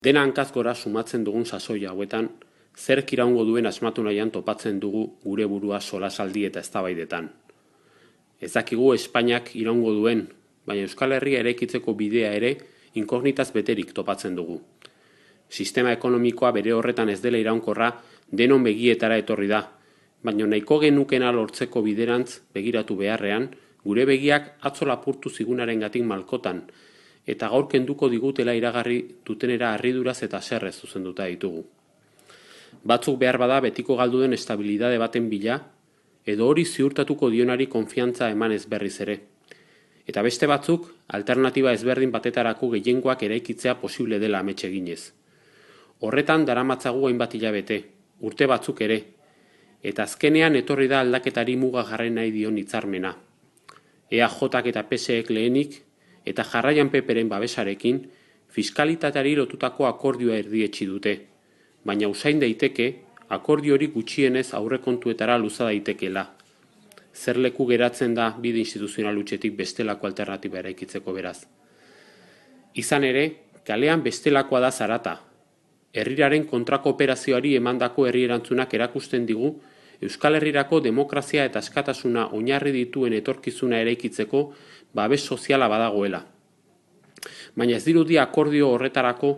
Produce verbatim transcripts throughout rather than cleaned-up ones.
Dena hankaz gora sumatzen dugun sasoi hauetan, zerk iraungo duen asmatu nahian topatzen dugu gure burua solasaldi eta eztabaidetan. Ez dakigu Espainiak iraungo duen, baina Euskal Herria eraikitzeko bidea ere inkognitaz beterik topatzen dugu. Sistema ekonomikoa bere horretan ez dela iraunkorra denon begietara etorri da, baina nahiko genukena lortzeko biderantz begiratu beharrean, gure begiak atzo lapurtu zigunarengatik malkotan, eta gaur kenduko digutela iragarri dutenera harriduraz eta serrez zuzenduta ditugu. Batzuk behar bada betiko galdu den estabilidade baten bila, edo hori ziurtatuko dionari konfiantza emanez berriz ere. Eta beste batzuk, alternatiba ezberdin batetarako gehiengoak eraikitzea posible dela amets eginez. Horretan daramatzagu hainbat hilabete, urte batzuk ere, eta azkenean etorri da aldaketari muga jarri nahi dion hitzarmena. E A Jak eta P S Ek lehenik, eta jarraian Peperen babesarekin, fiskalitateari lotutako akordioa erdietsi dute, baina usain daiteke, akordio hori gutxienez aurrekontuetara luza daitekela. Zer leku geratzen da bide instituzional hutsetik bestelako alternatiba eraikitzeko beraz. Izan ere, kalean bestelakoa da zarata. Herriraren kontrako operazioari emandako herri erantzunak erakusten digu, Euskal Herrirako demokrazia eta askatasuna oinarri dituen etorkizuna eraikitzeko babes soziala badagoela. Baina ez dirudi akordio horretarako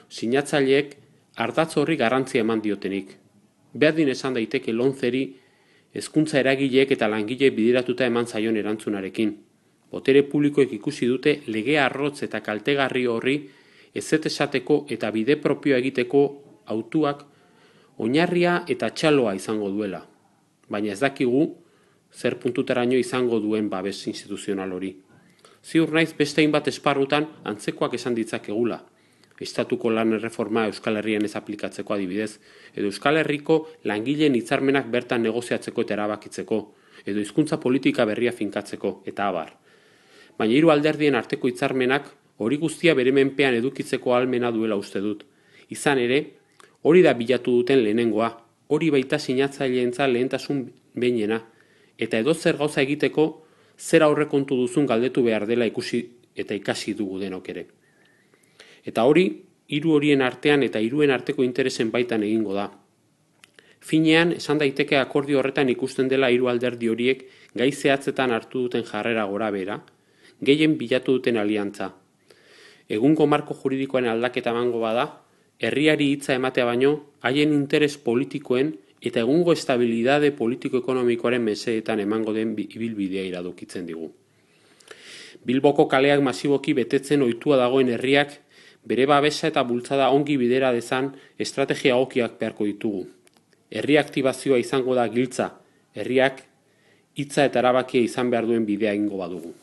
sinatzaileek ardatz horri garrantzia eman diotenik. Berdin esan daiteke lomceri hezkuntza eragileek eta langile bideratuta eman zaion erantzunarekin. Botere publikoek ikusi dute lege arrotz eta kaltegarri horri ezet esateko eta bide propioa egiteko hautuak oinarria eta txaloa izango duela. Baina ez dakigu zer puntutaraino izango duen babes instituzional hori. Ziur naiz beste hainbat esparrutan antzekoak esan ditzakegula. Estatuko lan erreforma Euskal Herrian ez aplikatzeko adibidez, edo Euskal Herriko langileen hitzarmenak bertan negoziatzeko eta erabakitzeko, edo hizkuntza politika berria finkatzeko, eta abar. Baina hiru alderdien arteko hitzarmenak hori guztia bere menpean edukitzeko ahalmena duela uste dut. Izan ere, hori da bilatu duten lehenengoa, hori baita sinatzaileentzat lehentasun behinena, eta edozer gauza egiteko zer aurrekontu duzun galdetu behar dela ikusi eta ikasi dugu denok ere. Eta hori, hiru horien artean eta hiruen arteko interesen baitan egingo da. Finean, esan daiteke akordio horretan ikusten dela hiru alderdi horiek gai zehatzetan hartu duten jarrera gora bera, gehien bilatu duten aliantza. Egungo marko juridikoen aldaketa emango bada, herriari hitza ematea baino, haien interes politikoen eta egungo estabilidade politiko-ekonomikoaren mesedetan emango den ibilbidea iradokitzen digu. Bilboko kaleak masiboki betetzen ohitua dagoen herriak, bere babesa eta bultzada ongi bidera dezan estrategia egokiak beharko ditugu. Herri aktibazioa izango da giltza, herriak hitza eta erabakia izan behar duen bidea egingo badugu.